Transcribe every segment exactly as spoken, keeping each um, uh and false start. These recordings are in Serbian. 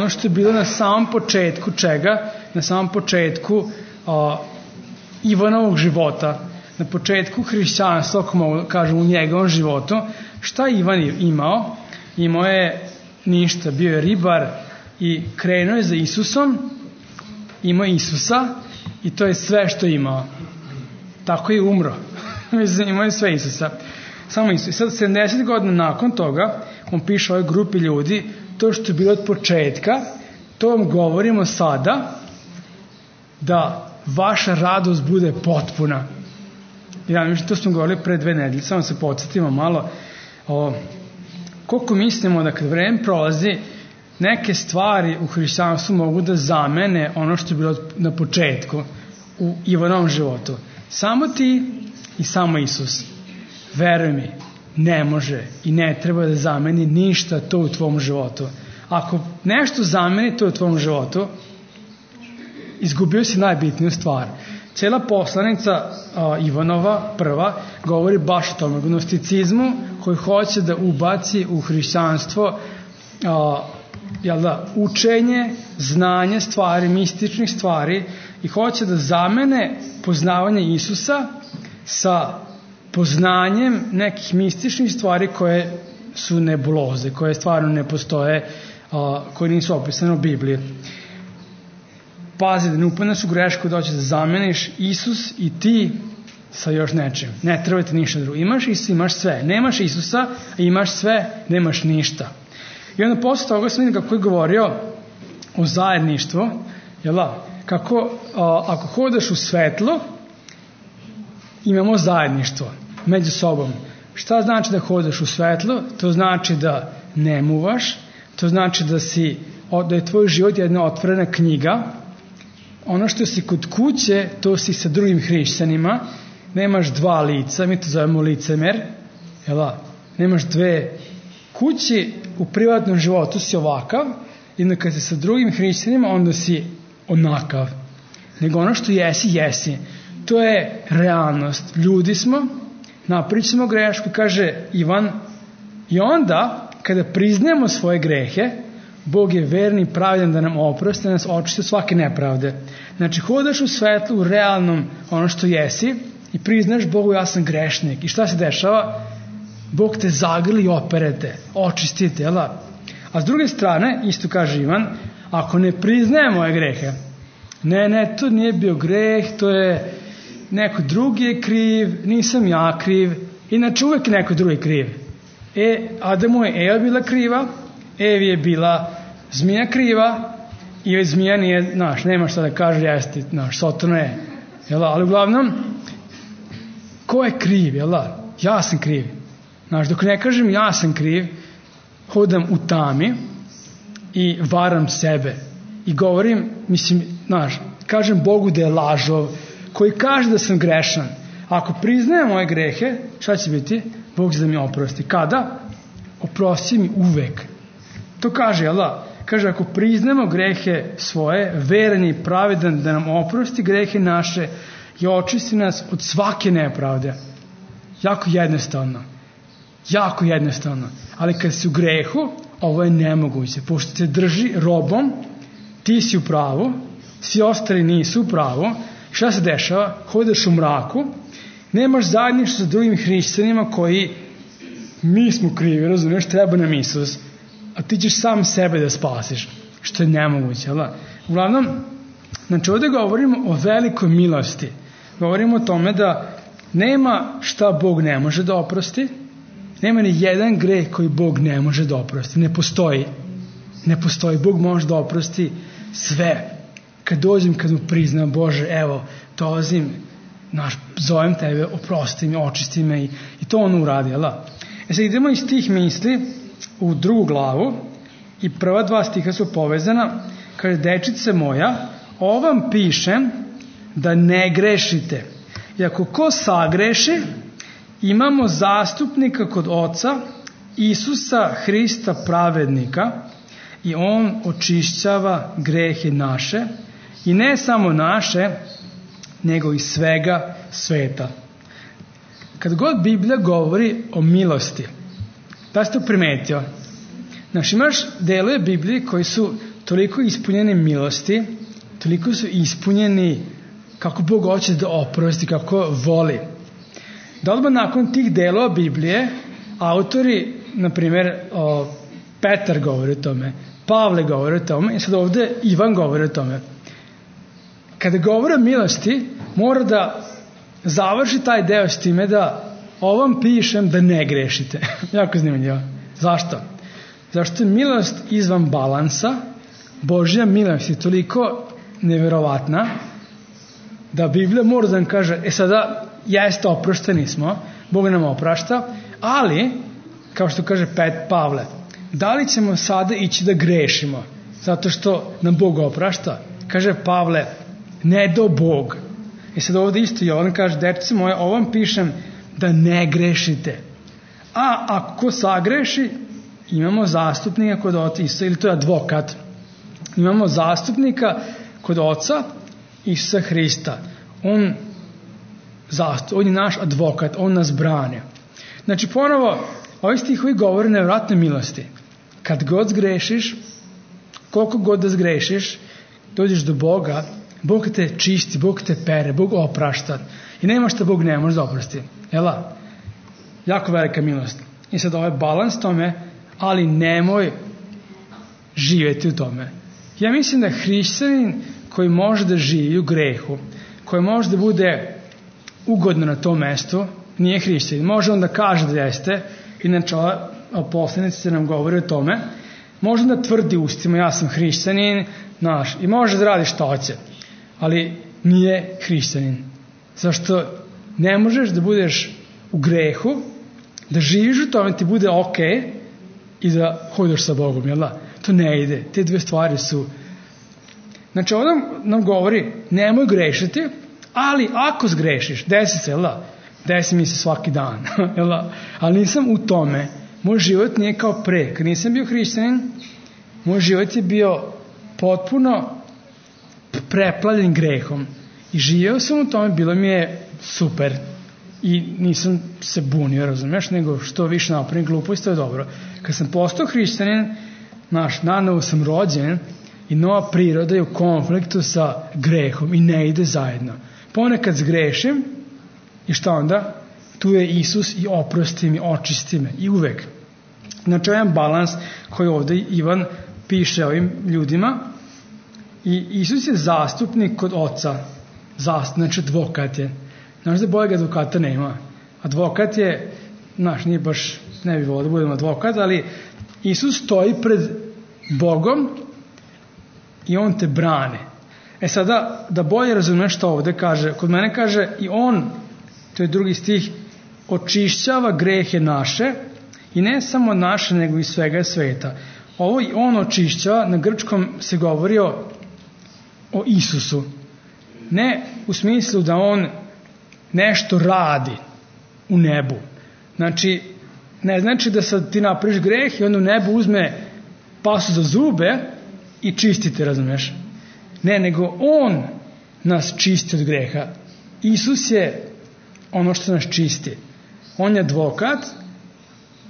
ono što je bilo na samom početku čega? Na samom početku a, Ivanovog života, na početku hrišćanstva, ako mogu kažem, u njegovom životu. Šta Ivan je imao? Imao je ništa, bio je ribar i krenuo je za Isusom, imao je Isusa i to je sve što je imao. Tako je umro. Imao je sve Isusa. Samo Isus. I sad sedamdeset godina nakon toga, on piše ovoj grupi ljudi, to što je bilo od početka, to vam govorimo sada, da vaša radost bude potpuna. Ja mislim, to smo govorili pre dve nedelje, samo se podsjetimo malo. O, koliko mislimo da kad vreme prolazi, neke stvari u hrišćanstvu mogu da zamene ono što je bilo na početku u Ivanovom životu. Samo ti i samo Isus. Veruj mi, ne može i ne treba da zameni ništa to u tvom životu. Ako nešto zameni to u tvom životu, izgubio si najbitniju stvar. Cijela poslanica a, Ivanova, prva, govori baš o tome, gnosticizmu koji hoće da ubaci u hrišćanstvo a, jel da, učenje, znanje stvari, mističnih stvari i hoće da zamene poznavanje Isusa sa poznanjem nekih mističnih stvari koje su nebuloze, koje stvarno ne postoje, a, koje nisu opisane u Bibliji. Pazi da ne upadneš u grešku da hoćeš da zameniš Isus i ti sa još nečim. Ne treba ti ništa drugo. Imaš Isus, imaš sve. Nemaš Isusa, a imaš sve, nemaš ništa. I onda posle toga sam vidio kako je govorio o zajedništvu, jel da? Kako a, ako hodaš u svetlo, imamo zajedništvo među sobom. Šta znači da hodaš u svetlo? To znači da ne muvaš, to znači da si, da je tvoj život jedna otvorena knjiga. Ono što si kod kuće, to si sa drugim hrišćanima, nemaš dva lica, mi to zovemo licemer, jel da? Nemaš dve kući, u privatnom životu si ovakav, i onda kad si sa drugim hrišćanima, onda si onakav. Nego ono što jesi, jesi. To je realnost. Ljudi smo, napričamo grešku, kaže Ivan, i onda, kada priznajemo svoje grehe, Bog je verni i pravedan da nam oprosti, da nas očisti od svake nepravde. Znači, hodaš u svetlu, u realnom ono što jesi i priznaš Bogu, ja sam grešnik. I šta se dešava? Bog te zagrli i operete, očistite, jel da? A s druge strane, isto kaže Ivan, ako ne priznaje moje grehe, ne, ne, to nije bio greh, to je neko drugi je kriv, nisam ja kriv, inače uvek je neko drugi kriv. E, Adamu je Eva bila kriva, Evi je bila zmija kriva i zmija nije, znaš, nema šta da kaže, jeste, znaš, Sotona je, jel da? Ali uglavnom, ko je kriv, jel da? Ja sam kriv. Znaš, dok ne kažem ja sam kriv, hodam u tami i varam sebe i govorim, mislim, znaš, kažem Bogu da je lažov, koji kaže da sam grešan. Ako priznajem moje grehe, šta će biti? Bog će da mi oprosti. Kada? Oprosti mi uvek. To kaže, jel da? Kaže, ako priznamo grehe svoje, veran je i pravedan da nam oprosti grehe naše i očisti nas od svake nepravde. Jako jednostavno. Jako jednostavno. Ali kad si u grehu, ovo je nemoguće. Pošto te drži robom, ti si u pravu, svi ostali nisu u pravu. Šta se dešava? Hodaš u mraku, nemaš zajedništvo sa drugim hrišćanima koji mi smo krivi, razumiješ, treba nam Isus, a ti ćeš sam sebe da spasiš, što je nemoguće. Ali? Uglavnom, znači ovdje govorimo o velikoj milosti. Govorimo o tome da nema šta Bog ne može da oprosti, nema ni jedan greh koji Bog ne može da oprosti. Ne postoji. Ne postoji. Bog može da oprosti sve. Kad dođem, kad mu priznam, Bože, evo, dolazim, naš, zovem tebe, oprosti mi, očisti me i, i to on uradi, jel da? E sad idemo iz tih misli u drugu glavu i prva dva stiha su povezana. Kaže, dečice moja, ovo vam pišem da ne grešite. I ako ko sagreši, imamo zastupnika kod Oca, Isusa Hrista pravednika, i on očišćava grehe naše, i ne samo naše, nego i svega sveta. Kad god Biblija govori o milosti, da ste to primetio? Znači, imaš delove Biblije koji su toliko ispunjeni milosti, toliko su ispunjeni kako Bog hoće da oprosti, kako voli. Da odmah nakon tih delova Biblije, autori, na primjer, o, Petar govori o tome, Pavle govori o tome, i sad ovde Ivan govori o tome. Kada govori o milosti, mora da završi taj deo s time da ovom pišem da ne grešite. Jako zanimljivo. Zašto? Zašto je milost izvan balansa, Božja milost je toliko neverovatna, da Biblija mora da nam kaže, e sada, jeste oprošteni smo, Bog nam oprašta, ali, kao što kaže Pet Pavle, da li ćemo sada ići da grešimo, zato što nam Bog oprašta? Kaže Pavle, ne do Bog. I sad ovdje isto Jovan kaže, dečci moje, ovom pišem da ne grešite. A ako sagreši, imamo zastupnika kod oca, isto, ili to je advokat, imamo zastupnika kod oca, Isusa Hrista. On, zastup, on je naš advokat, on nas brane. Znači ponovo, ovi stihovi govore o nevjerojatnoj milosti. Kad god zgrešiš, koliko god da zgrešiš, dođeš do Boga, Bog te čisti, Bog te pere, Bog oprašta. I nema što Bog ne može da oprosti. Jela? Jako velika milost. I sad ovaj balans tome, ali nemoj živjeti u tome. Ja mislim da hrišćanin koji može da živi u grehu, koji može da bude ugodno na tom mestu, nije hrišćanin. Može on da kaže da jeste, inače poslanici nam govori o tome, može da tvrdi ustima, ja sam hrišćanin, naš, i može da radi šta hoće, ali nije hrišćanin. Zašto ne možeš da budeš u grehu, da živiš u tome, ti bude ok i da hodaš sa Bogom, jel da? To ne ide. Te dve stvari su... Znači, ovdje nam govori, nemoj grešiti, ali ako zgrešiš, desi se, jel da? Desi mi se svaki dan, jel da? Ali nisam u tome. Moj život nije kao pre. Kad nisam bio hrišćanin, moj život je bio potpuno preplavljen grehom. I živio sam u tome, bilo mi je super. I nisam se bunio, razumiješ, nego što više napravim glupost, to je dobro. Kad sam postao hrišćanin, naš, nanovo sam rođen i nova priroda je u konfliktu sa grehom i ne ide zajedno. Ponekad zgrešim i šta onda? Tu je Isus i oprosti mi, očisti me i uvek. Znači, jedan balans koji ovdje Ivan piše ovim ljudima i Isus je zastupnik kod oca. Zast, znači advokat je. Znaš da boljeg advokata nema. Advokat je, znaš, nije baš, ne bi volio da budem advokat, ali Isus stoji pred Bogom i on te brane. E sada, da bolje razumeš što ovdje kaže, kod mene kaže i on, to je drugi stih, očišćava grehe naše i ne samo naše, nego i svega sveta. Ovo i on očišćava, na grčkom se govori o, o Isusu. Ne u smislu da on nešto radi u nebu. Znači, ne znači da sad ti napraviš greh i on u nebu uzme pasu za zube i čistite, razumiješ? Ne, nego on nas čisti od greha. Isus je ono što nas čisti. On je advokat,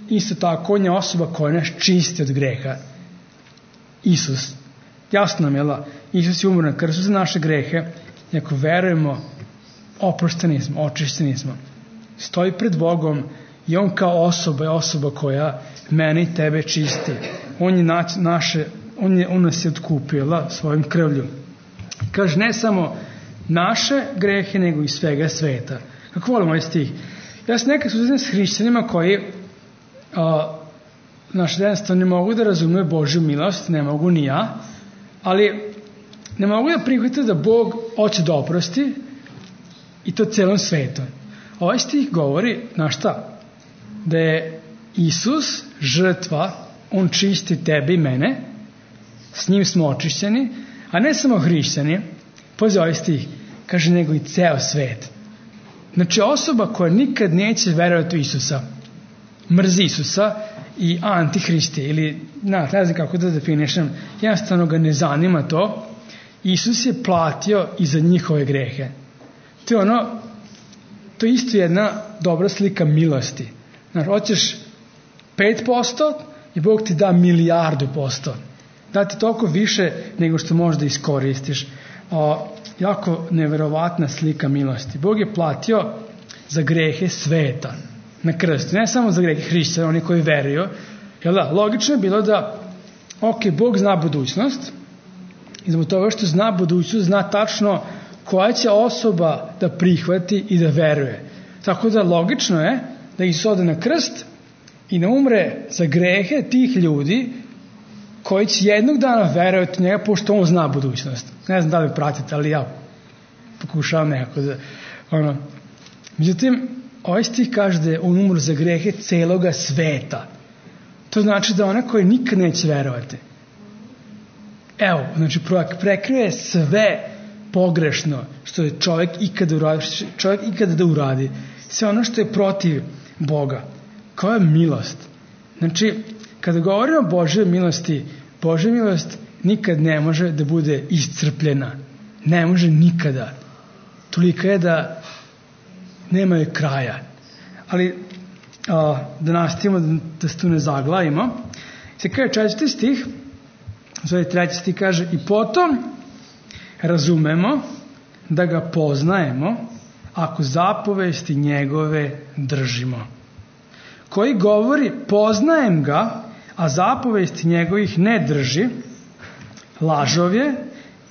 isto tako on je osoba koja nas čisti od greha. Isus. Jasno nam je, la? Isus je umro na krstu za naše grehe i ako verujemo, oprošteni smo, očišćeni smo. Stoji pred Bogom i on kao osoba je osoba koja mene i tebe čisti. On je naše, on, je, on nas je otkupio, la, svojim krvlju. Kaže, ne samo naše grehe, nego i svega sveta. Kako volim ovaj stih? Ja sam nekad suzim s hrišćanima koji a, naš jednostavno ne mogu da razumeju Božju milost, ne mogu ni ja, ali ne mogu da prihvatiti da Bog hoće da oprosti i to celom svetom. Ovaj stih govori, na šta? Da je Isus žrtva, on čisti tebe i mene, s njim smo očišćeni, a ne samo hrišćani, pazi ovaj stih, kaže nego i ceo svet. Znači osoba koja nikad neće verovati u Isusa, mrzi Isusa i antihristi, ili na, ne znam kako da definišem, jednostavno ga ne zanima to, Isus je platio i za njihove grehe. To je ono, to je isto jedna dobra slika milosti. Znači, hoćeš pet posto i Bog ti da milijardu posto. dati toliko više nego što možda iskoristiš. O, jako neverovatna slika milosti. Bog je platio za grehe sveta na krstu, ne samo za grehe hrišćana, oni koji veruju. Jel da? Logično je bilo da, ok, Bog zna budućnost, i zbog toga što zna budućnost, zna tačno koja će osoba da prihvati i da veruje. Tako da logično je da Isus ode na krst i ne umre za grehe tih ljudi koji će jednog dana verovati u njega, pošto on zna budućnost. Ne znam da li pratite, ali ja pokušavam nekako da... Ono. Međutim, ovaj stih kaže da je on umro za grehe celoga sveta. To znači da ona koji nikad neće verovati. Evo, znači prekrije sve pogrešno što je čovjek ikada uradi, čovjek ikada da uradi. Sve ono što je protiv Boga. Koja je milost? Znači, kada govorimo o Božjoj milosti, Božja milost nikad ne može da bude iscrpljena. Ne može nikada. Tolika je da nema je kraja. Ali a, da nastavimo, da, da se tu ne zaglavimo. Se kaže četvrti stih, zove treći stih kaže, i potom razumemo da ga poznajemo ako zapovesti njegove držimo. Koji govori poznajem ga, a zapovesti njegovih ne drži, lažov je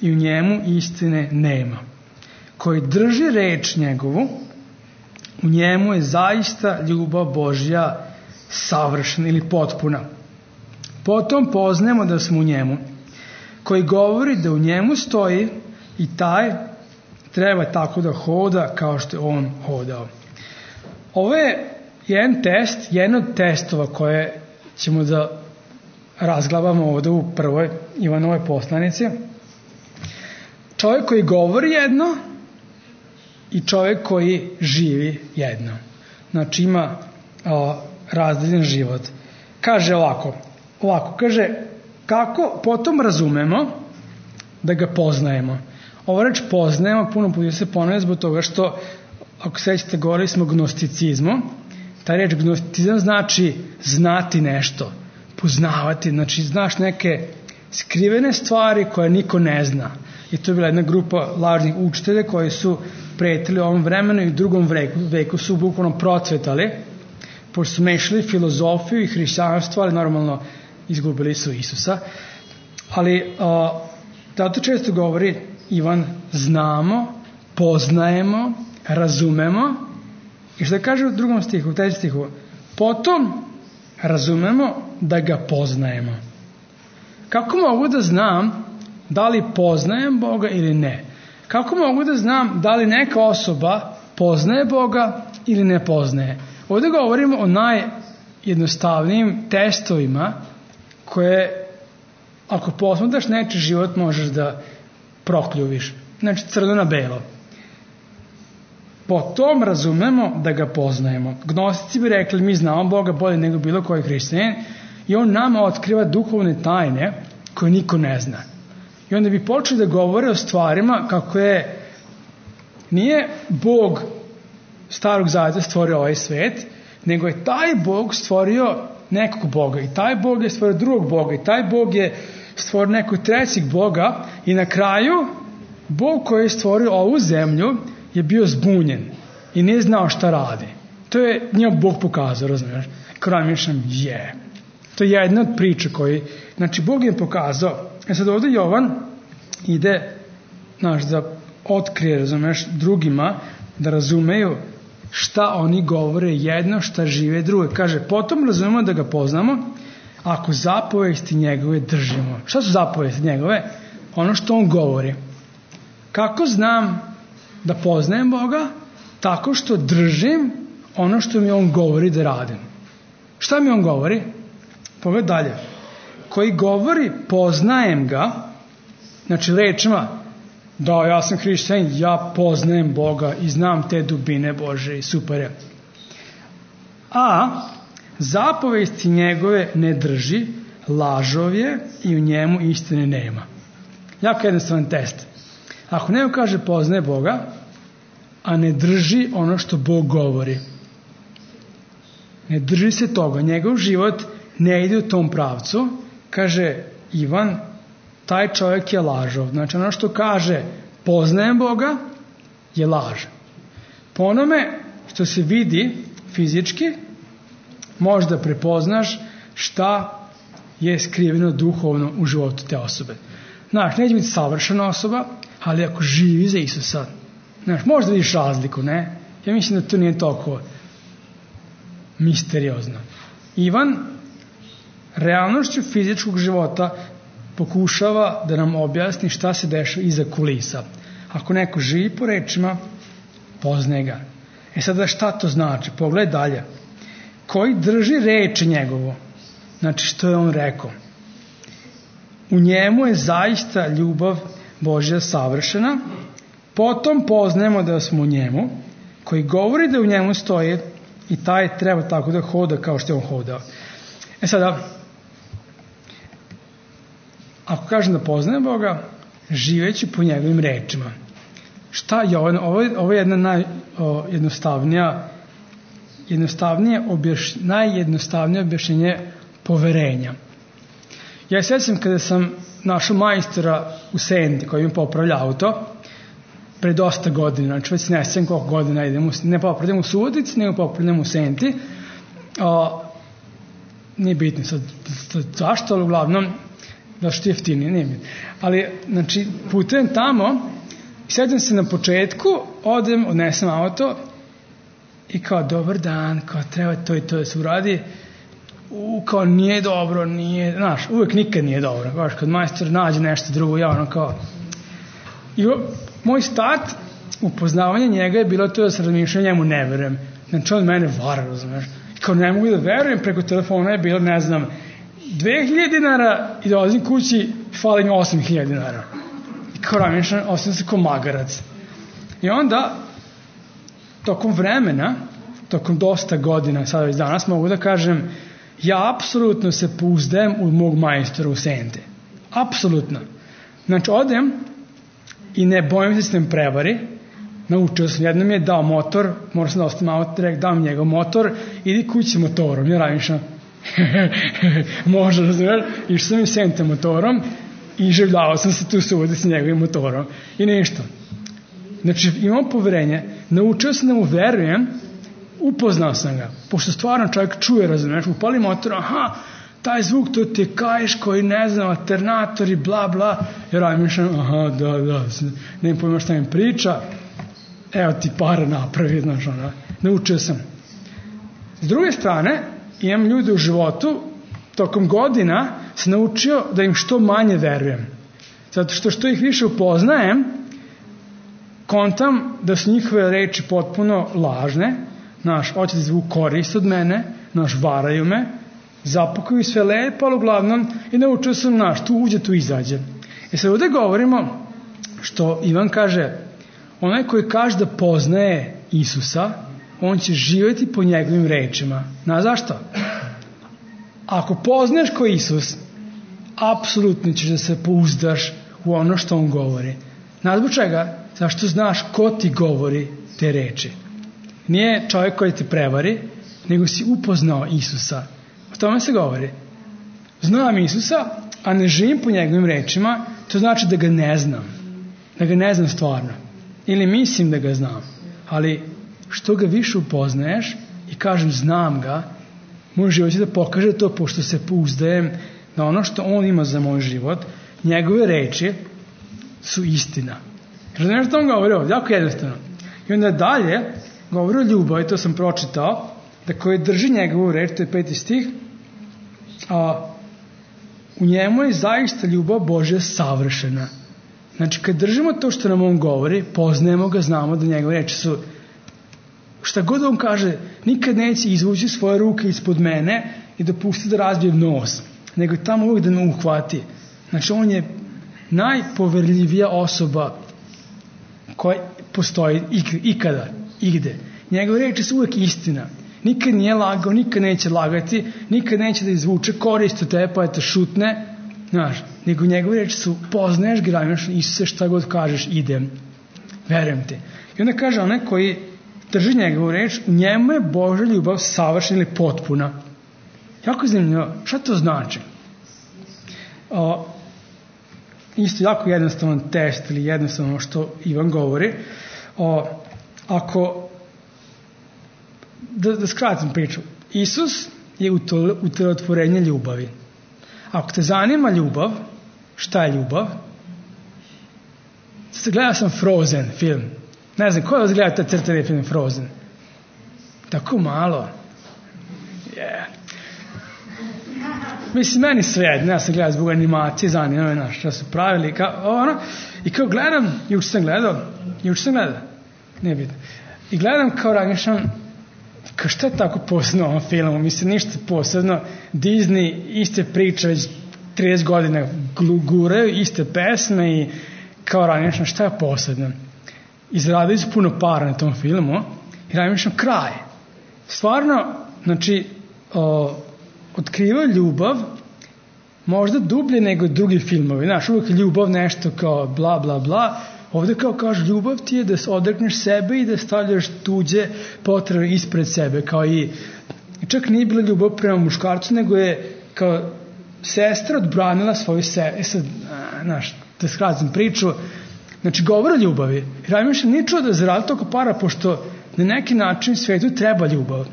i u njemu istine nema. Koji drži reč njegovu, u njemu je zaista ljubav Božja savršena ili potpuna. Potom poznajemo da smo u njemu. Koji govori da u njemu stoji i taj treba tako da hoda kao što je on hodao. Ovo je jedan test, jedan od testova koje ćemo da razglavamo ovdje u prvoj Ivanovoj poslanici. Čovjek koji govori jedno i čovjek koji živi jedno. Znači ima o, razdeljen život. Kaže ovako, ovako, kaže kako potom razumemo da ga poznajemo. Ova reč poznajemo, puno puta se ponavlja zbog toga što, ako sećate, govorili smo o gnosticizmu. Ta reč gnosticizam znači znati nešto, poznavati, znači znaš neke skrivene stvari koje niko ne zna. I to je bila jedna grupa lažnih učitelja koji su pretili u ovom vremenu i u drugom veku, veku su bukvalno procvetali, pošto su mešali filozofiju i hrišćanstvo, ali normalno izgubili su Isusa. Ali a, zato često govori Ivan, znamo, poznajemo, razumemo. I što kaže u drugom stihu, u trećem stihu, potom razumemo da ga poznajemo. Kako mogu da znam da li poznajem Boga ili ne? Kako mogu da znam da li neka osoba poznaje Boga ili ne poznaje? Ovdje govorimo o najjednostavnijim testovima koje, ako posmatraš nečiji život, možeš da prokljuviš. Znači crno na belo. Potom razumemo da ga poznajemo. Gnostici bi rekli, mi znamo Boga bolje nego bilo koji hrišćanin i on nama otkriva duhovne tajne koje niko ne zna. I onda bi počeli da govore o stvarima kako je, nije Bog starog zaveta stvorio ovaj svet, nego je taj Bog stvorio nekog Boga i taj Bog je stvorio drugog Boga i taj Bog je stvorio nekog trećeg Boga i na kraju Bog koji je stvorio ovu zemlju je bio zbunjen i nije znao šta radi. To je njemu Bog pokazao, razumiješ? Kraj mišljam, je. To je jedna od priča koji, znači Bog je pokazao. E sad ovdje Jovan ide, znaš, da otkrije, razumiješ, drugima, da razumeju šta oni govore jedno, šta žive drugo. Kaže, potom razumemo da ga poznamo ako zapovesti njegove držimo. Šta su zapovesti njegove? Ono što on govori. Kako znam da poznajem Boga? Tako što držim ono što mi on govori da radim. Šta mi on govori? Pogledaj dalje. Koji govori poznajem ga, znači rečima, da ja sam hrišćanin, ja poznajem Boga i znam te dubine Bože i super je. A zapovesti njegove ne drži, lažov je i u njemu istine nema. Jako jednostavan test. Ako neko kaže poznaje Boga, a ne drži ono što Bog govori, ne drži se toga, njegov život ne ide u tom pravcu, kaže Ivan, taj čovjek je lažov. Znači ono što kaže poznajem Boga je laž. Po onome što se vidi fizički možda prepoznaš šta je skriveno duhovno u životu te osobe. Znaš, neće biti savršena osoba, ali ako živi za Isusa, znaš, možda vidiš razliku, ne? Ja mislim da to nije toliko misteriozno. Ivan realnošću fizičkog života pokušava da nam objasni šta se dešava iza kulisa. Ako neko živi po rečima, poznaje ga. E sada šta to znači? Pogledaj dalje. Koji drži reči njegovo, znači što je on rekao. U njemu je zaista ljubav Božja savršena, potom poznajemo da smo u njemu, koji govori da u njemu stoje i taj treba tako da hoda kao što je on hodao. E sada, ako kažem da poznajem Boga, živeći po njegovim rečima. Šta je ovo? Ovo je, ovo je jedna najjednostavnija jednostavnije objaš, najjednostavnije objašnjenje poverenja. Ja se sjećam kada sam našao majstora u Senti koji mi popravlja auto pre dosta godina, znači već ne znam koliko godina idem, ne popravljam u Subotici, nego popravljam u Senti. O, nije bitno sad zašto, ali uglavnom da što je jeftinije, nije bitno. Ali, znači, putujem tamo i sjećam se na početku, odem, odnesem auto i kao dobar dan, kao treba to i to da se uradi, u, kao nije dobro, nije, znaš, uvek nikad nije dobro, kao kad majstor nađe nešto drugo, ja ono kao, i o, moj start upoznavanje njega je bilo to da se razmišljam, njemu ne verujem, znači on mene vara, razumeš, i kao ne mogu da verujem, preko telefona je bilo, ne znam, dve hiljade dinara i dolazim kući, fali mi osam hiljada dinara, i kao razmišljam, osim se kao magarac, i onda tokom vremena, tokom dosta godina, sada već danas mogu da kažem, ja apsolutno se pouzdajem u mog majstora u Sente. Apsolutno. Znači, odem i ne bojim se s njim prevari. Naučio sam, jednom mi je dao motor, moram sam da ostavim auto, direkt dam njegov motor, idi kući motorom. Ja razmišljam, može, razumiješ, išao sam i Sente motorom i življavao sam se tu suvodi s njegovim motorom. I ništa. Znači, imam poverenje, naučio sam da mu verujem, upoznao sam ga, pošto stvarno čovjek čuje, razumiješ, upali motor, aha, taj zvuk, to ti je kajš koji ne znam, alternator i bla bla, jer ja mišljam, aha, da, da, ne pojma šta mi priča, evo ti para napravi, znaš, ono, naučio sam. S druge strane, imam ljude u životu, tokom godina sam naučio da im što manje verujem, zato što što ih više upoznajem, kontam da su njihove reči potpuno lažne, naš, hoće da zvuk korist od mene, naš, varaju me, zapakuju sve lepo, ali uglavnom i naučio sam, naš, tu uđe, tu izađe. I sad ovdje govorimo što Ivan kaže, onaj koji kaže da poznaje Isusa, on će živjeti po njegovim rečima. Znaš zašto? Ako poznaš ko Isus, apsolutno ćeš da se pouzdaš u ono što on govori. Znaš zbog čega? Zašto znaš ko ti govori te reči. Nije čovjek koji te prevari, nego si upoznao Isusa. O tome se govori. Znam Isusa, a ne živim po njegovim rečima, to znači da ga ne znam. Da ga ne znam stvarno. Ili mislim da ga znam. Ali što ga više upoznaješ i kažem znam ga, moj život će da pokaže to, pošto se pouzdajem na ono što on ima za moj život, njegove reči su istina. Razumiješ što on govori ovdje? Jako jednostavno. I onda dalje govori o ljubavi, to sam pročitao, da koji drži njegovu reč, to je peti stih, a u njemu je zaista ljubav Božja savršena. Znači, kad držimo to što nam on govori, poznajemo ga, znamo da njegove reči su, šta god on kaže, nikad neće izvući svoje ruke ispod mene i dopusti da razbijem nos, nego tamo uvijek da me uhvati. Znači, on je najpoverljivija osoba koja postoji ikada, igde. Njegove reči su uvijek istina. Nikad nije lagao, nikad neće lagati, nikad neće da izvuče korist od tebe, pa je to šutne, znaš, nego njegove reči su, poznaješ ga, Isuse, šta god kažeš, idem, verujem te. I onda kaže onaj koji drži njegovu reč, u njemu je Božja ljubav savršena ili potpuna. Jako zanimljivo, šta to znači? O, isto jako jednostavan test ili jednostavno što Ivan govori. O, ako, da, da skratim priču, Isus je utelotvorenje ljubavi. Ako te zanima ljubav, šta je ljubav? Gledao sam Frozen film. Ne znam, ko je vas gledao taj crtani film Frozen? Tako malo. Yeah. Mislim, meni svejedno, ja sam gledao zbog animacije, zanima me naš, šta su pravili, kao, ono, i kao gledam, juče sam gledao, juče sam gledao, nije bitno, i gledam kao razmišljam, kao šta je tako posebno u ovom filmu, mislim, ništa posebno, Disney iste priče već trideset godina guraju, iste pesme i kao razmišljam, šta je posebno? Izradili su puno para na tom filmu i razmišljam, kraj. Stvarno, znači, o, otkrivaju ljubav možda dublje nego drugi filmovi. Znaš, uvijek ljubav nešto kao bla bla bla. Ovdje kao kaže, ljubav ti je da se odrekneš sebe i da stavljaš tuđe potrebe ispred sebe. Kao i, čak nije bila ljubav prema muškarcu, nego je kao sestra odbranila svoju se... E sad, znaš, da skratim priču, znači govore o ljubavi. Razmišljam, nije čuo da zaradi toliko para, pošto na neki način svetu treba ljubav.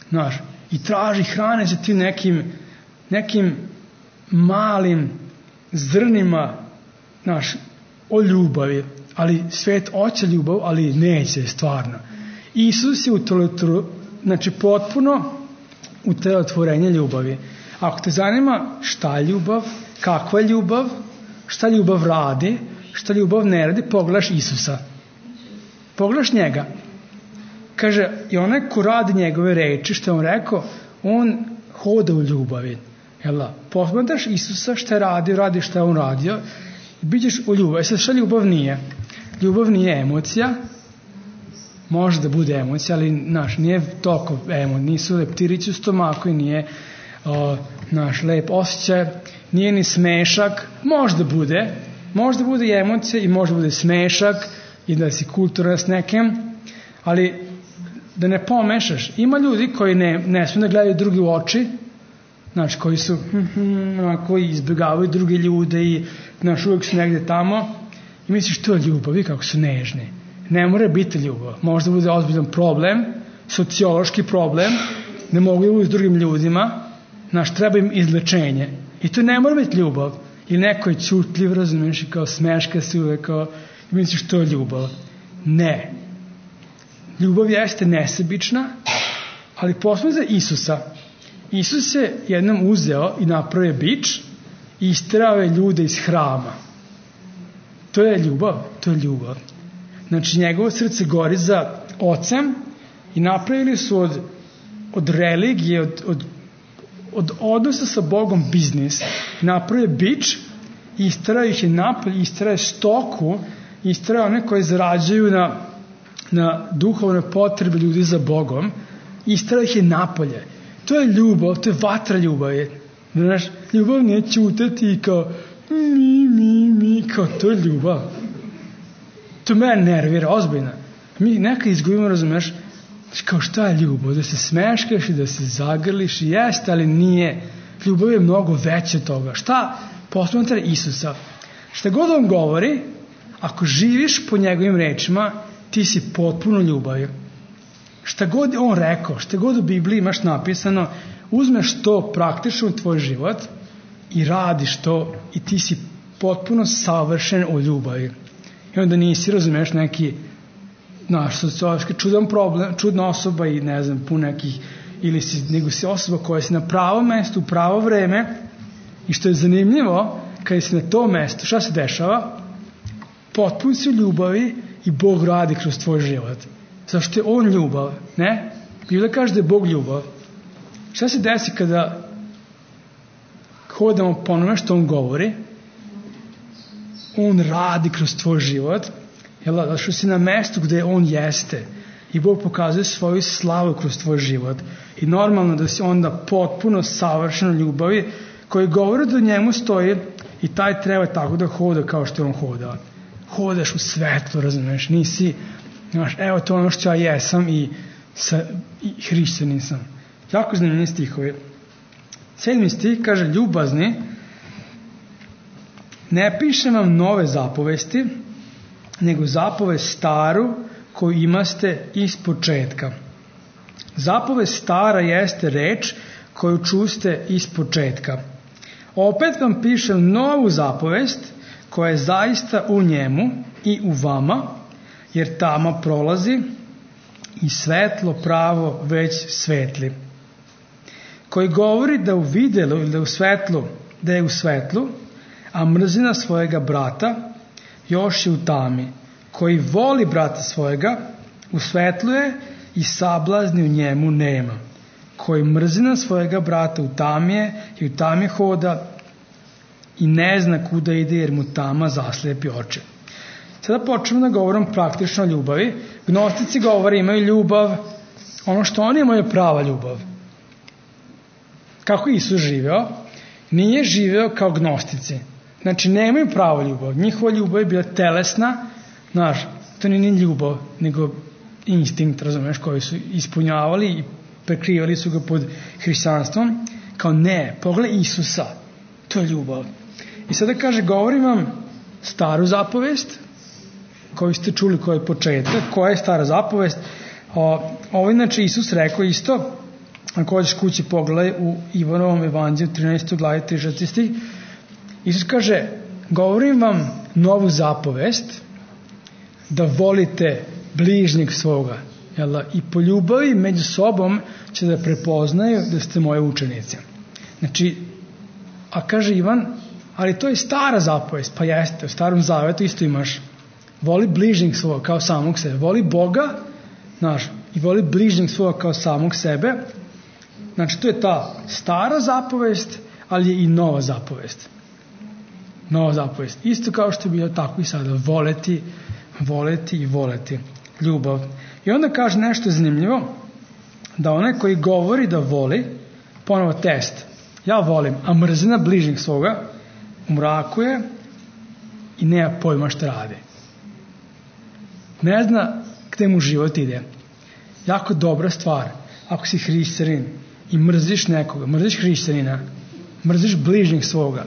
Znaš, i traži hrane za tim nekim, nekim malim zrnima, znaš, o ljubavi. Ali svet hoće ljubav, ali neće stvarno. Isus je utelotvorenje, znači potpuno utelotvorenje ljubavi. Ako te zanima šta je ljubav, kakva je ljubav, šta ljubav radi, šta ljubav ne radi, pogledaš Isusa. Pogledaš njega. Kaže, i onaj ko radi njegove reči, što je on rekao, on hoda u ljubavi. Jel' posmatraš Isusa šta je radio, radi šta je on radio i biđeš u ljubavi. Sad šta ljubav nije? Ljubav nije emocija, može da bude emocija, ali naš, nije toliko emo, nisu leptirići u stomaku i nije o, naš lep osjećaj, nije ni smešak, može da bude, može da bude i emocija i može da bude smešak i da si kulturan s nekim, ali da ne pomešaš. Ima ljudi koji ne, ne smiju da gledaju drugi u oči, znači koji su koji izbjegavaju druge ljude i znaš, uvijek su negde tamo i misliš to je ljubav i kako su nežni. Ne mora biti ljubav. Možda bude ozbiljan problem, sociološki problem, ne mogu da budu s drugim ljudima, znaš, treba im izlečenje. I to ne mora biti ljubav. Ili neko je ćutljiv, razumiješ, i kao smeška se uvijek, kao, i misliš to je ljubav. Ne. Ljubav jeste nesebična, ali posebno za Isusa. Isus je jednom uzeo i napravio bič i isterao je ljude iz hrama. To je ljubav, to je ljubav. Znači, njegovo srce gori za ocem i napravili su od, od religije, od, od, od odnosa sa Bogom biznis. Napravio bič i isterao ih je napolje, isterao je stoku, isterao one koje zarađuju na, na duhovne potrebe ljudi za Bogom, isterao ih je napolje. To je ljubav, to je vatra ljubavi. Znaš, ljubav nije ćutati i kao mi, mi, mi, kao to je ljubav. To mene nervira, ozbiljno. Mi nekad izgubimo, razumeš, kao šta je ljubav? Da se smeškaš i da se zagrliš i jeste, ali nije. Ljubav je mnogo veće toga. Šta? Posmatra Isusa. Šta god on govori, ako živiš po njegovim rečima, ti si potpuno ljubavi. Šta god on rekao, šta god u Bibliji imaš napisano, uzmeš to praktično u tvoj život i radiš to i ti si potpuno savršen u ljubavi. I onda nisi, razumeš, neki naš sociološki čudan problem, čudna osoba i ne znam, pun nekih, ili si, nego si osoba koja si na pravom mestu, u pravo vreme i što je zanimljivo, kada si na tom mestu, šta se dešava? Potpuno si u ljubavi i Bog radi kroz tvoj život. Zašto je on ljubav, ne? Biblia kaže da je Bog ljubav. Šta se desi kada hodamo po onome što on govori? On radi kroz tvoj život, jel, zašto si na mestu gde on jeste i Bog pokazuje svoju slavu kroz tvoj život. I normalno da si onda potpuno savršeno ljubavi koji govori da njemu stoji i taj treba tako da hoda kao što je on hodao. Hodaš u svetlu, razumiješ, nisi, znaš, evo to ono što ja jesam i, sa, i hrišćanin sam. Jako zanimljivi stihovi. Sedmi stih kaže ljubazni, ne pišem vam nove zapovesti, nego zapovest staru koju imaste iz početka. Zapovest stara jeste reč koju čuste iz početka. Opet vam pišem novu zapovest koja je zaista u njemu i u vama, jer tama prolazi i svetlo pravo već svetli. Koji govori da u videlu ili da u svetlu, da je u svetlu, a mrzina svojega brata još je u tami. Koji voli brata svojega, u svetlu je i sablazni u njemu nema. Koji mrzina svojega brata u tami je i u tami hoda i ne zna kuda ide jer mu tama zaslepi oči. Sada počnemo da govorim praktično o ljubavi. Gnostici govore imaju ljubav, ono što oni imaju prava ljubav. Kako Isus živeo? Nije živeo kao gnostici. Znači, nemaju pravo ljubav. Njihova ljubav je bila telesna, znaš, to nije ni ljubav, nego instinkt, razumeš, koji su ispunjavali i prekrivali su ga pod hrišćanstvom. Kao ne, pogledaj Isusa, to je ljubav. I sada kaže, govorim vam staru zapovest, koju ste čuli koji je početak, koja je stara zapovest. Ovo inače Isus rekao isto, ako hoćeš kući pogledaj u Ivanovom evanđelju trinaestoj glavi trideset šesti stih. Isus kaže, govorim vam novu zapovest, da volite bližnjeg svoga. Jel? I po ljubavi među sobom će da prepoznaju da ste moje učenice. Znači, a kaže Ivan, ali to je stara zapovest. Pa jeste, u starom zavetu isto imaš. Voli bližnjeg svoga kao samog sebe. Voli Boga, znaš, i voli bližnjeg svoga kao samog sebe. Znači, to je ta stara zapovest, ali je i nova zapovest. Nova zapovest. Isto kao što je bilo tako i sada. Voleti, voleti i voleti. Ljubav. I onda kaže nešto zanimljivo, da onaj koji govori da voli, ponovo test, ja volim, a mrzina bližnjeg svoga, u mraku je i nema pojma šta radi. Ne zna gde mu život ide. Jako dobra stvar. Ako si hrišćanin i mrziš nekoga, mrziš hrišćanina, mrziš bližnjeg svoga,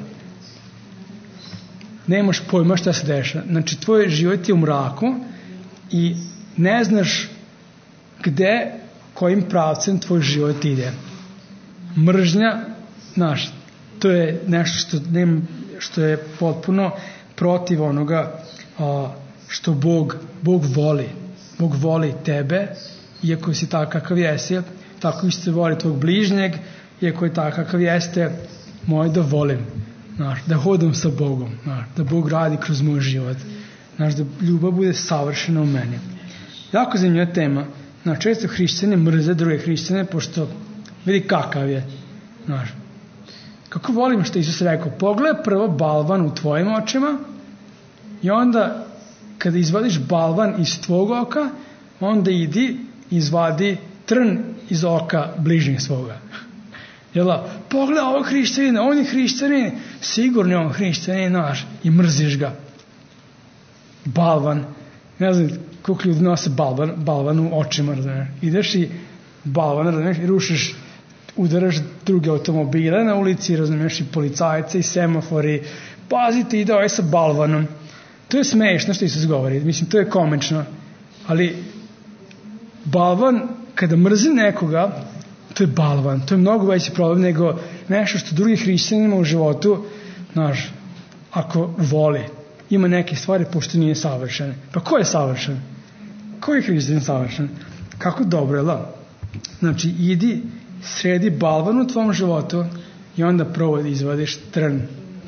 nemaš pojma šta se deša. Znači, tvoj život je u mraku i ne znaš gde, kojim pravcem tvoj život ide. Mržnja, znaš, to je nešto što, ne, što je potpuno protiv onoga a, što Bog, Bog voli. Bog voli tebe, iako si takav kakav jesi, tako isto voli tvog bližnjeg, iako je takav kakav jeste, moj da volim, znaš, da hodam sa Bogom, znaš, da Bog radi kroz moj život, znaš, da ljubav bude savršena u meni. Jako zanimljiva tema. Znaš, često hrišćane mrze druge hrišćane, pošto vidi kakav je, znaš. Kako volim što Isus rekao, pogledaj prvo balvan u tvojim očima i onda kada izvadiš balvan iz tvog oka, onda idi izvadi trn iz oka bližnjeg svoga. Jela, pogledaj ovog hrišćanina, on je hrišćanin, sigurno je on hrišćanin naš i mrziš ga. Balvan, ne znam koliko ljudi nose balvan, balvan u očima, razumiješ. Ideš i balvan, razumiješ, i rušiš, udaraš druge automobile na ulici, razumiješ, i policajce i semafori, pazite, ide ovaj sa balvanom. To je smešno što Isus govori, mislim, to je komično, ali balvan, kada mrzi nekoga, to je balvan, to je mnogo veći problem nego nešto što drugi hrišćanima u životu, znaš, ako voli, ima neke stvari pošto nije savršen. Pa ko je savršen? Ko je hrišćanin savršen? Kako dobro je, la? Znači, idi, sredi balvan u tvom životu i onda provodi, izvadiš trn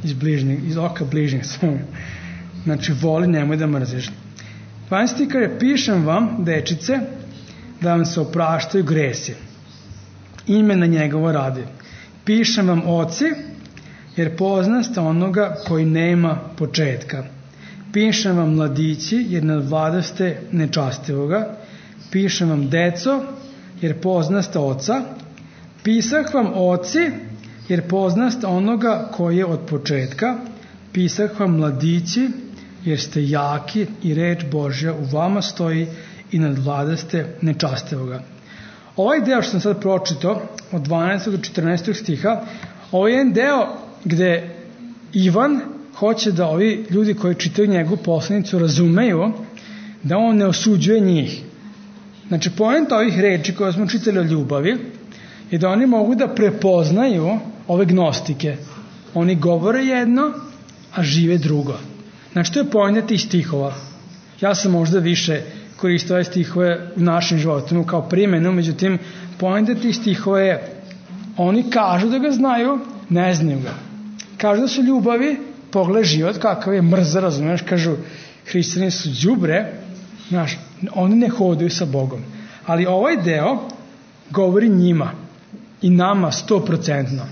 iz bližnjeg, iz oka bližnjeg svog. Znači, voli, nemoj da mrziš. dvanaesti kaže, pišem vam, dečice, da vam se opraštaju gresi. Ime na njegovo radi. Pišem vam, oci, jer poznaste onoga koji nema početka. Pišem vam, mladići, jer nadvladaste nečastivoga. Pišem vam, deco, jer poznaste oca. Pisah vam, oci, jer poznaste onoga koji je od početka. Pisah vam, mladići, jer ste jaki i reč Božja u vama stoji i nadvladaste nečastivoga. Ovaj deo što sam sad pročitao, od dvanaestog do četrnaestog stiha, ovo je jedan deo gde Ivan hoće da ovi ljudi koji čitaju njegovu poslanicu razumeju da on ne osuđuje njih. Znači, poenta ovih reči koje smo čitali o ljubavi je da oni mogu da prepoznaju ove gnostike. Oni govore jedno, a žive drugo. Znači, to je poenta tih stihova. Ja sam možda više koristio ove stihove u našim životima kao primjenu, međutim, poenta tih stihova je oni kažu da ga znaju, ne znaju ga. Kažu da su ljubavi, pogledaj život kakav je mrza, razumiješ, kažu hrišćani su đubre, znaš, oni ne hodaju sa Bogom. Ali ovaj deo govori njima i nama stoprocentno.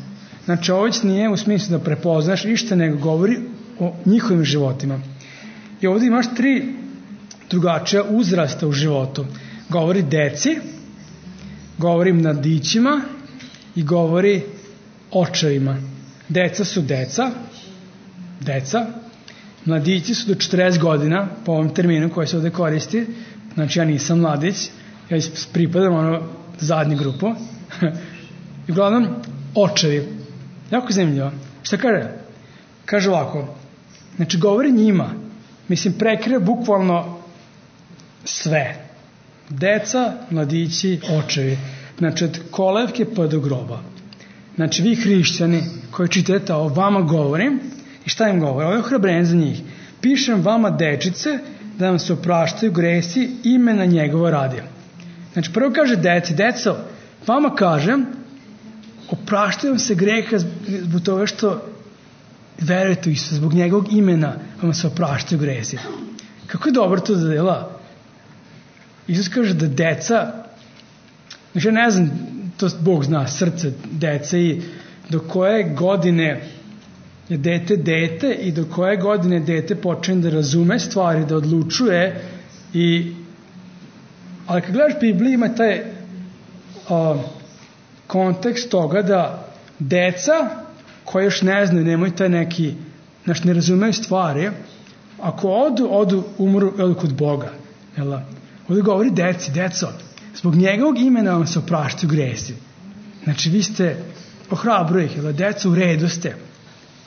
Znači, ovo nije u smislu da prepoznaš ništa, nego govori o njihovim životima. I ovdje imaš tri drugačija uzrasta u životu. Govori deci, govori mladićima i govori očevima. Deca su deca, deca, mladići su do četrdeset godina, po ovom terminu koji se ovdje koristi, znači ja nisam mladić, ja pripadam ono zadnju grupu. I uglavnom, očevi. Jako zanimljivo. Šta kaže? Kaže ovako, znači govori njima, mislim prekrije bukvalno sve. Deca, mladići, očevi. Znači od kolevke pa do groba. Znači vi hrišćani koji čitate o vama govorim, i šta im govori? Ovo je ohrabrenje za njih. Pišem vama dečice da vam se opraštaju gresi imena njegova radi. Znači prvo kaže deci, deco, vama kažem, opraštaju vam se greha zbog toga što verujete u Isusa, zbog njegovog imena vam se opraštaju gresi. Kako je dobro to da dela? Isus kaže da deca, znači ja ne znam, to Bog zna, srce dece i do koje godine je dete dete i do koje godine dete počne da razume stvari, da odlučuje i ali kad gledaš Bibliju ima taj a, kontekst toga da deca koji još ne znaju, nemaju taj neki, znači ne razumeju stvari, ako odu, odu, umru, odu kod Boga. Jel? Ovdje govori deci, deco, zbog njegovog imena vam se opraštaju gresi. Znači vi ste, ohrabruju ih, jel? Deco u redu ste,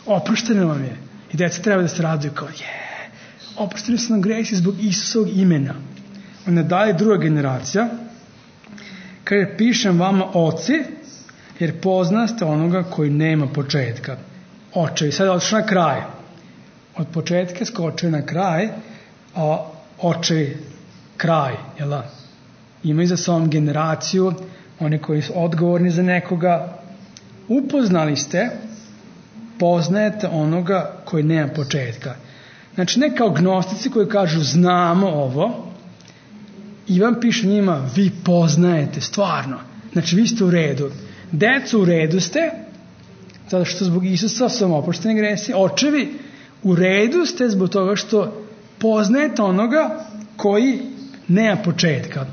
oprošteno vam je. I deca treba da se raduju kao, je, oprošteni su nam gresi zbog Isusovog imena. Onda dalje druga generacija, kaže, pišem vama oci, jer poznaste onoga koji nema početka. Očevi, sad je otišao na kraj. Od početka skočio na kraj, a očevi kraj, jel? Imaju za sobom generaciju, oni koji su odgovorni za nekoga. Upoznali ste, poznajete onoga koji nema početka. Znači, ne kao gnostici koji kažu znamo ovo, Ivan piše njima, vi poznajete, stvarno. Znači, vi ste u redu. Decu u redu ste, zato što zbog Isusa su vam oprošteni gresi. Očevi, u redu ste zbog toga što poznajete onoga koji nema početka.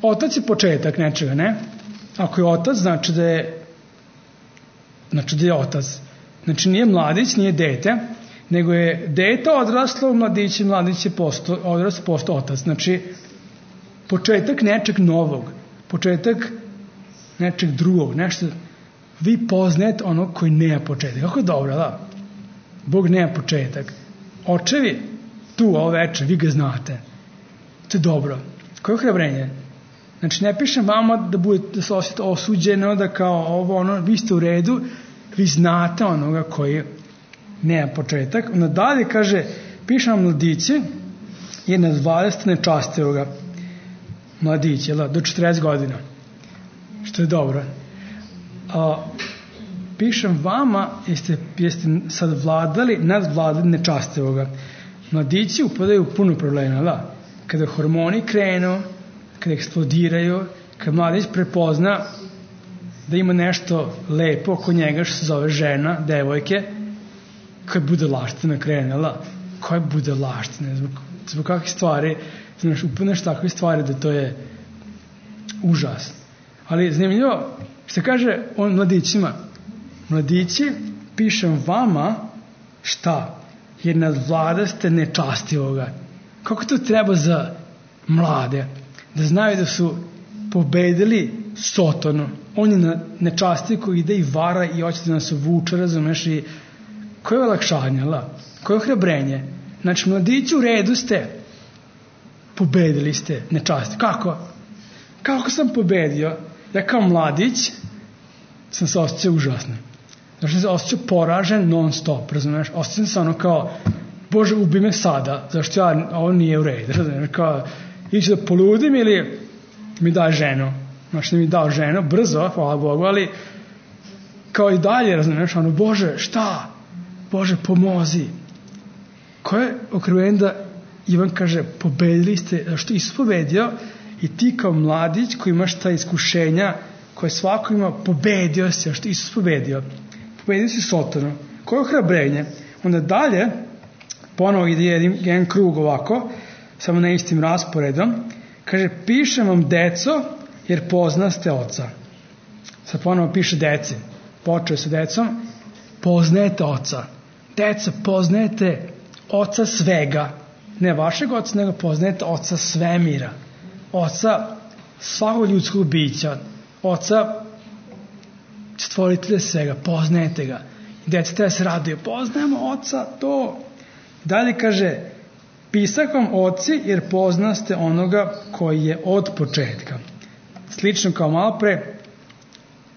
Otac je početak nečega, ne? Ako je otac, znači da je znači da je otac. Znači nije mladić, nije dete, nego je dete odraslo u mladići, mladić je posto, odraslo posto otac. Znači, početak nečeg novog, početak nečeg drugog, nešto, vi poznajete onog koji nema početak. Kako je dobro, da? Bog nema početak. Očevi, tu, ovo večer, vi ga znate. To je dobro. Koje ohrabrenje? Znači, ne pišem vama da budete da se osjetite osuđeno, da kao ovo, ono, vi ste u redu, vi znate onoga koji nema početak. Onda dalje kaže, pišem vam mladići, jer na dvadeset nečastivoga mladić, jel, do četrdeset godina. Što je dobro. A, pišem vama, jeste, jeste sad vladali, nadvladali nečastivoga. Mladići upadaju u puno problema, da? Kada hormoni krenu, kada eksplodiraju, kada mladić prepozna da ima nešto lepo oko njega što se zove žena, devojke, koja bude laština krenela, koja bude laština, zbog, zbog kakvih stvari, znaš, upadneš takve stvari da to je užas. Ali zanimljivo, što kaže on mladićima, mladići, pišem vama šta? Jer nadvladaste nečastivoga. Kako to treba za mlade? Da znaju da su pobedili Sotonu. On je na nečastiv koji ide i vara i hoće da nas uvuče, razumeš, i koje olakšanje, la? Koje ohrabrenje? Znači, mladići, u redu ste, pobedili ste nečasti. Kako? Kako sam pobedio? Ja kao mladić sam se osjećao užasno. Znači, sam se osjećao poražen non stop, razumiješ? Osjećam se ono kao, Bože, ubi me sada, zašto ja, ovo nije u redu, razumiješ? Kao, ići da poludim ili mi da ženu. Znači, mi dao ženu, brzo, hvala Bogu, ali kao i dalje, razumiješ, ono, Bože, šta? Bože, pomozi. Koje je okrivljenje da Ivan kaže, pobedili ste, zašto Isus pobedio i ti kao mladić koji imaš ta iskušenja koje svako ima, pobedio si, zašto Isus pobedio. Pobedio si Sotonu. Koje je ohrabrenje? Onda dalje, ponovo ide jedan, jedan krug ovako, samo na istim rasporedom, kaže, pišem vam, deco, jer poznaste oca. Sad ponovo piše deci. Počeo sa decom, poznajete oca. Deca, poznajete oca svega. Ne vašeg oca, nego poznajete oca svemira. Oca svakog ljudskog bića. Oca stvoritelja svega. Poznajete ga. Deca treba se raduje. Poznajemo oca, to. Dalje kaže, pisak vam oci, jer poznaste onoga koji je od početka. Slično kao malo pre,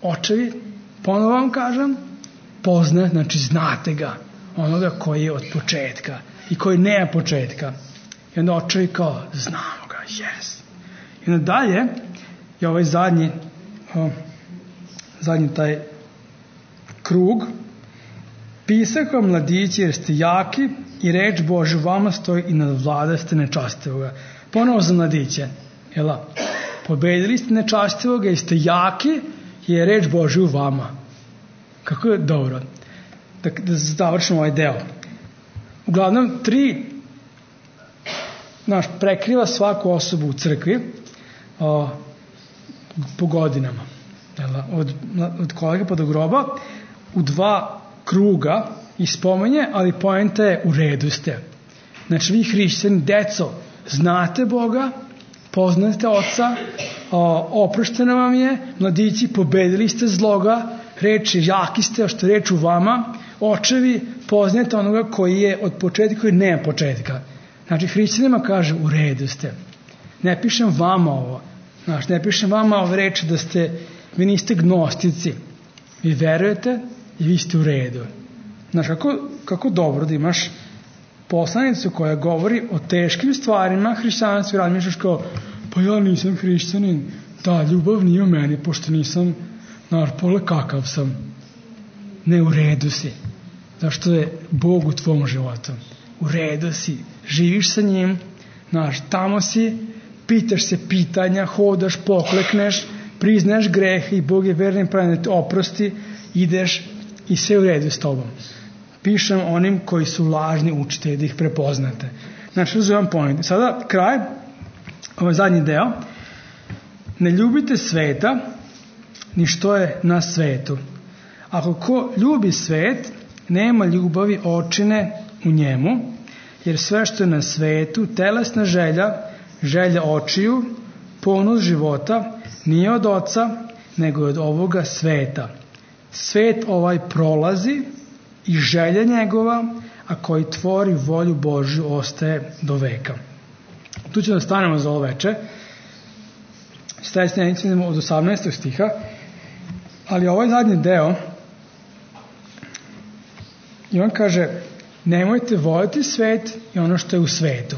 očevi, ponovo vam kažem, poznate, znači znate ga, onoga koji je od početka i koji nema početka. I onda očevi kao, znamo ga, yes. I onda dalje je ovaj zadnji, o, zadnji taj krug, pisak vam, mladići, jer ste jaki i reč Božja vama stoji i nadvladaste nečastivoga. Ponovo za mladiće, jela, pobedili ste nečastivoga i ste jaki jer je reč Božja u vama. Kako je dobro. Da, da završimo ovaj deo. Uglavnom, tri naš, prekriva svaku osobu u crkvi o, po godinama. Jela, od, od kolega pa do groba u dva kruga i spomenje, ali poenta je u redu ste. Znači, vi hrišćani, deco, znate Boga, poznate Oca, oprošteno vam je, mladići, pobedili ste zloga, reči, jaki ste, što reč u vama, očevi, poznajete onoga koji je od početka, koji nema početka. Znači, hrišćanima kaže, u redu ste. Ne pišem vama ovo. Znači, ne pišem vama ove reči da ste, vi niste gnostici. Vi verujete i vi ste u redu. Znači, kako, kako dobro da imaš poslanicu koja govori o teškim stvarima hrišćanstva i razmišljaš kao, pa ja nisam hrišćanin, da, ljubav nije u meni, pošto nisam narpole kakav sam. Ne, u redu si. Zašto je Bog u tvom životu? U redu si. Živiš sa njim, znaš, tamo si, pitaš se pitanja, hodaš, poklekneš, priznaš grehe i Bog je verni pravi da te oprosti, ideš i sve u redu s tobom. Pišem onim koji su lažni učitelji da ih prepoznate. Znači, uzimam point. Sada kraj, ovaj zadnji deo. Ne ljubite sveta, ni što je na svetu. Ako ko ljubi svet, nema ljubavi očine u njemu, jer sve što je na svetu, telesna želja, želja očiju, ponos života, nije od oca, nego od ovoga sveta. Svet ovaj prolazi i želja njegova, a koji tvori volju Božju ostaje do veka. Tu ćemo da stanemo za ovo veče. Sledeće nedelje idemo od osamnaestog stiha, ali ovaj zadnji deo, i on kaže, nemojte voljeti svet i ono što je u svetu.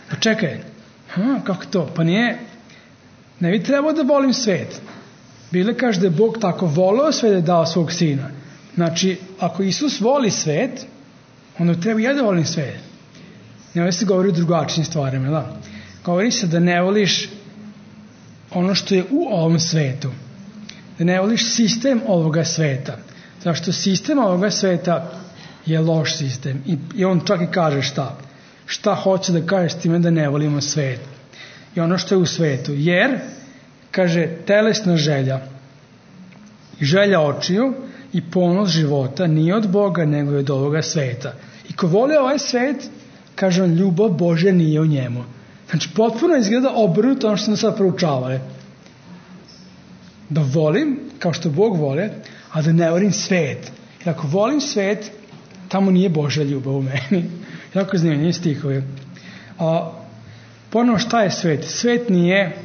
Pa čekaj, ha, kako to? Pa nije, ne bi trebao da volim svet. Bile kaže da je Bog tako voleo sve da je dao svog sina. Znači, ako Isus voli svet, onda treba ja da volim svet. Ne ovdje se govori o drugačijim stvarima, da? Govori se da ne voliš ono što je u ovom svetu. Da ne voliš sistem ovoga sveta. Zašto sistem ovoga sveta je loš sistem. I, i on čak i kaže šta. Šta hoće da kaže s time da ne volimo svet. I ono što je u svetu. Jer, kaže, telesna želja i želja očiju i ponos života nije od Boga, nego je od ovoga sveta. I ko voli ovaj svet, kaže on, ljubav Božja nije u njemu. Znači, potpuno izgleda obrnuto ono što smo sad proučavali. Da volim, kao što Bog vole, a da ne volim svet. Jer ako volim svet, tamo nije Božja ljubav u meni. Jako zanimljivi stihovi. A, ponovno, šta je svet? Svet nije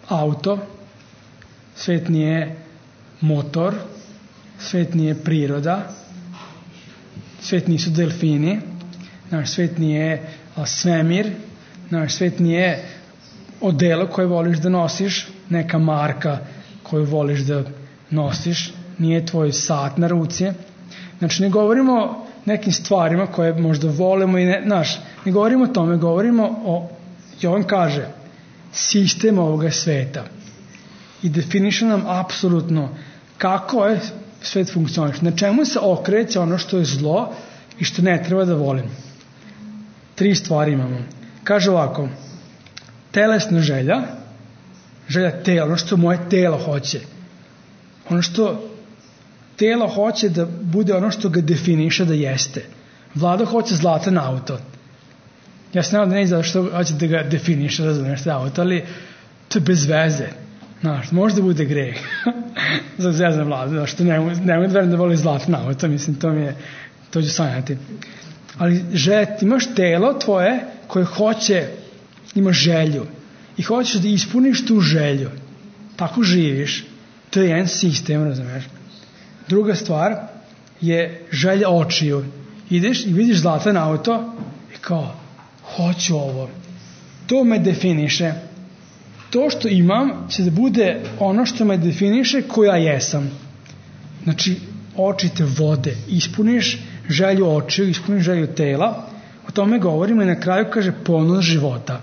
auto, svet nije motor, svet nije priroda, svet nisu delfini, naš svet nije a, svemir, naš svet nije odelo koje voliš da nosiš, neka marka koju voliš da nosiš, nije tvoj sat na ruci. Znači, ne govorimo o nekim stvarima koje možda volimo i ne, znaš, ne govorimo o tome, govorimo o, Jovan kaže, sistem ovoga sveta i definiše nam apsolutno kako je svet funkcioniš, na čemu se okreće ono što je zlo i što ne treba da volim. Tri stvari imamo. Kaže ovako, telesna želja, želja tela, ono što moje telo hoće, ono što telo hoće da bude ono što ga definiše da jeste. Vlada hoće zlatan auto. Ja se nadam da ne znam što hoće da ga definiše, razumiješ te auto, ali to je bez veze. Znaš, možda bude greh za zvezna vlada, znaš, što nemoj ne da verujem da voli zlatan auto, mislim, to mi je, to ću sanjati. Ali želja, imaš telo tvoje koje hoće, ima želju i hoćeš da ispuniš tu želju. Tako živiš. To je jedan sistem, razumiješ. Druga stvar je želja očiju. Ideš i vidiš zlatan auto i kao, hoću ovo. To me definiše. To što imam će da bude ono što me definiše ko ja jesam. Znači, oči te vode. Ispuniš želju očiju, ispuniš želju tela. O tome govorimo i na kraju kaže ponos života.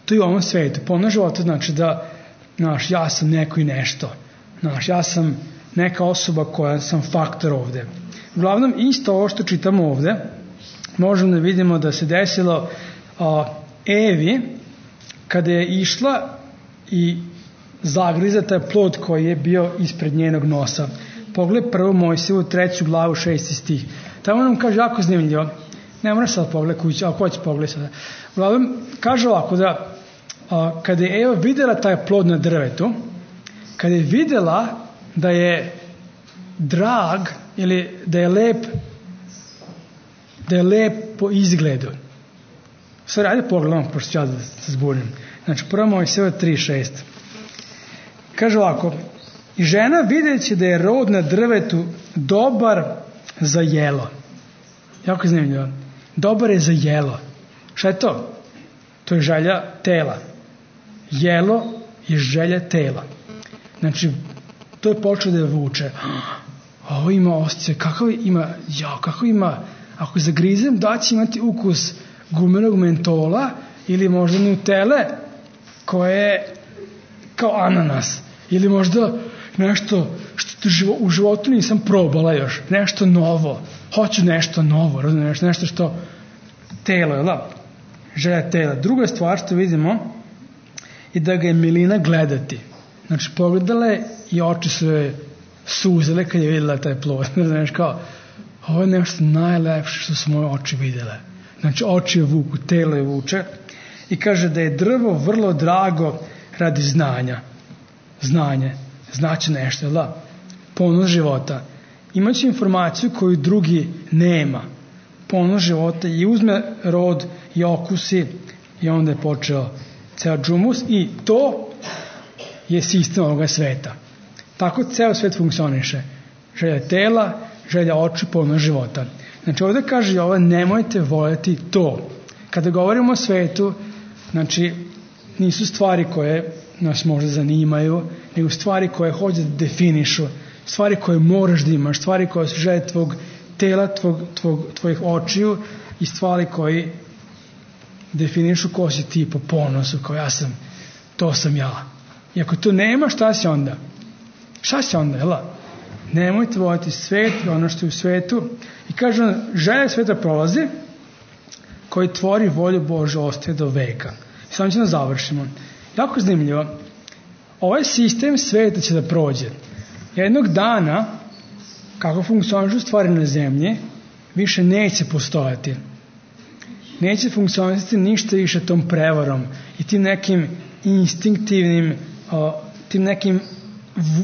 To je u ovom svetu. Ponos života znači da, znaš, ja sam neko i nešto. Znaš, ja sam neka osoba koja sam faktor ovde. Uglavnom, isto ovo što čitamo ovde, možemo da vidimo da se desilo a, Evi, kada je išla i zagriza taj plod koji je bio ispred njenog nosa. Pogledaj prvo Mojsijevu treću glavu šesti stih. Tamo nam kaže jako zanimljivo. Ne moraš sad pogledati kući, ako hoće pogledati sada. Uglavnom, kaže ovako da a, kada je Eva videla taj plod na drvetu, kada je videla da je drag ili da je lep da je lep po izgledu. Sve radi pogledamo, pošto ću ja da se zbunim. Znači, prvo Mojsijeva tri šest. Kaže ovako, i žena videći da je rod na drvetu dobar za jelo. Jako zanimljivo. Dobar je za jelo. Šta je to? To je želja tela. Jelo je želja tela. Znači, to je počeo da je vuče. Ovo ima osjećaj, kakav ima, ja, kakav ima, ako zagrizem, da će imati ukus gumenog mentola ili možda nutele koje je kao ananas. Ili možda nešto što u životu nisam probala još. Nešto novo. Hoću nešto novo. Razumiješ? Nešto što telo, jel da? Želja tela. Druga stvar što vidimo je da ga je milina gledati. Znači, pogledala je i oči su joj suzele kad je vidjela taj plod. Znaš, kao, ovo je nešto najlepše što su moje oči vidjele. Znači, oči je vuku, telo je vuče. I kaže da je drvo vrlo drago radi znanja. Znanje. Znači nešto, da? Ponos života. Imaće informaciju koju drugi nema. Ponos života i uzme rod i okusi i onda je počeo ceo džumus i to je sistem ovoga sveta. Tako ceo svet funkcioniše. Želja tela, želja oči, ponos života. Znači ovdje kaže ovo, nemojte voljeti to. Kada govorimo o svetu, znači nisu stvari koje nas možda zanimaju, nego stvari koje hoće da definišu, stvari koje moraš da imaš, stvari koje su želje tvog tela, tvog, tvog, tvojih očiju i stvari koji definišu ko si ti po ponosu, kao ja sam, to sam ja. I ako to nema, šta si onda? Šta si onda, jel? Nemojte voljeti svet i ono što je u svetu. I kaže on, želja sveta prolazi, koji tvori volju Božju ostaje do veka. I samo će da završimo. Jako zanimljivo. Ovaj sistem sveta će da prođe. Jednog dana, kako funkcionišu stvari na zemlji, više neće postojati. Neće funkcionisati ništa više tom prevarom i tim nekim instinktivnim, o, tim nekim v,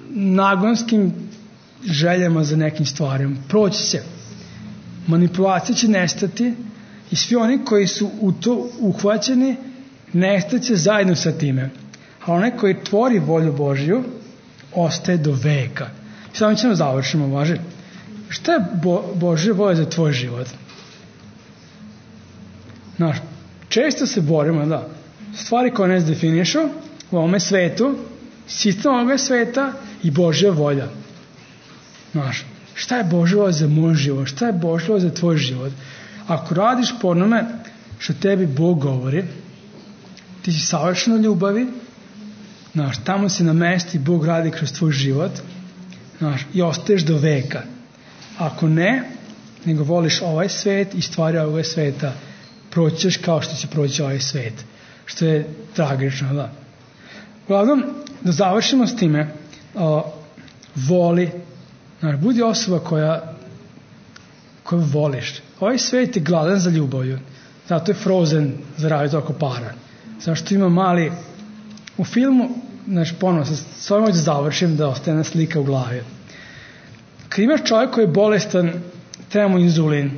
nagonskim željama za nekim stvarima. Proći će. Manipulacija će nestati i svi oni koji su u to uhvaćeni nestaće zajedno sa time. A onaj koji tvori volju Božju ostaje do veka. I samo ćemo završimo, važi. Šta je Bo, Božja volja za tvoj život? Znaš, često se borimo, da, stvari koje nas definišu u ovome svetu, sistem ovoga sveta i Božja volja. Znaš, šta je Božja volja za moj život? Šta je Božja volja za tvoj život? Ako radiš po onome što tebi Bog govori, ti si savršeno ljubavi, znaš, tamo se na mesti Bog radi kroz tvoj život, znaš, i ostaješ do veka. Ako ne, nego voliš ovaj svet i stvari ovoga sveta, proćeš kao što će proći ovaj svet. Što je tragično, da. Uglavnom, da završimo s time, uh, voli, znaš, budi osoba koja, koju voliš. Ovaj svet je gladan za ljubavlju. Zato je Frozen zaradio toliko para. Zašto ima mali... U filmu, znaš, ponovno, s ovim da završim, da ostane slika u glavi. Kad imaš čovjek koji je bolestan, treba mu inzulin.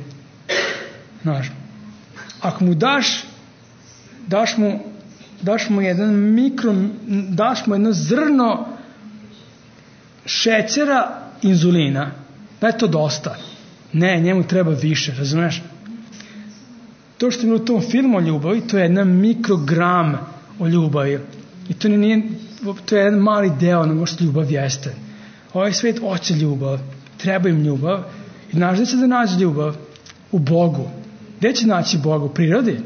Znaš, ako mu daš, daš mu, daš mu jedan mikro, daš mu jedno zrno šećera inzulina, da je to dosta. Ne, njemu treba više, razumeš? To što je u tom filmu o ljubavi, to je jedan mikrogram o ljubavi. I to nije, to je jedan mali deo onoga što ljubav jeste. Ovaj svet hoće ljubav, treba im ljubav. I znaš gde će da nađe ljubav? U Bogu. Gde će naći Boga? U prirodi?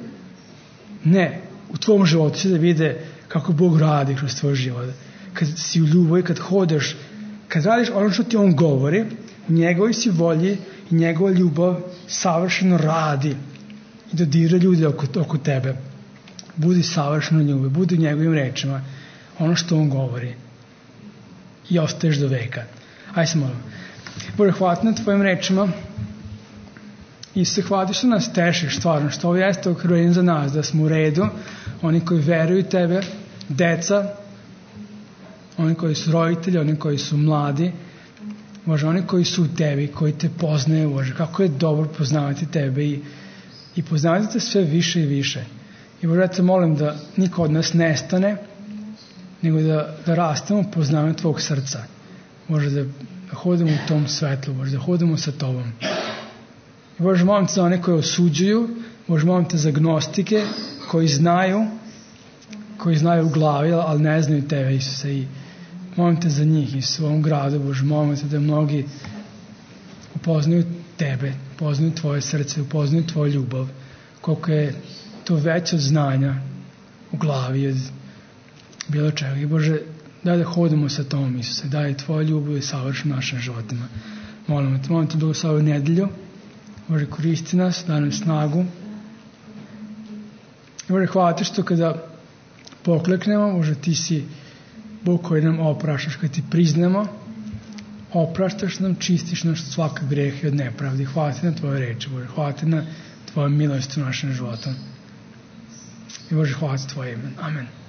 Ne. U tvom životu će da vide kako Bog radi kroz tvoj život. Kad si u ljubavi, kad hodeš, kad radiš ono što ti on govori, u njegovoj si volji i njegova ljubav savršeno radi i dodira ljudi oko, oko tebe. Budi savršeno ljubav, budi u njegovim rečima ono što on govori i ostaješ do veka. Ajde se molim. Bože, hvala na tvojim rečima i se hvali što nas tešiš stvarno, što ovo jeste okruženje za nas, da smo u redu, oni koji veruju tebe, deca, oni koji su roditelji, oni koji su mladi, Bože, oni koji su u tebi, koji te poznaju, Bože, kako je dobro poznavati tebe i, i poznavati te sve više i više. I Bože, ja te molim da niko od nas nestane, nego da, da rastemo poznavanjem tvojeg srca. Bože, da hodimo u tom svetlu, Bože, da hodimo sa tobom. I Bože, molim te za one koje osuđuju, Bože, molim te za gnostike koji znaju, koji znaju u glavi, ali ne znaju tebe, Isuse, i molim te za njih i u ovom gradu, Bože, molim te da mnogi upoznaju tebe, upoznaju tvoje srce, upoznaju tvoju ljubav, koliko je to veće od znanja u glavi, od bilo čega. I Bože, daj da hodimo sa tom, Isuse, daj tvoja ljubav i savrši našim životima. Molim te, molim te da u ovu nedelju, Bože, koristi nas, daj nam snagu. I Bože, hvala te što kada pokleknemo, Bože, ti si Bog koji nam opraštaš, kada ti priznamo, opraštaš nam, čistiš naš svaka greh i od nepravdi. Hvala ti na tvoje reči, Bože, hvala ti na tvoju milost u našem životu. I Bože, hvala ti tvoje ime. Amen.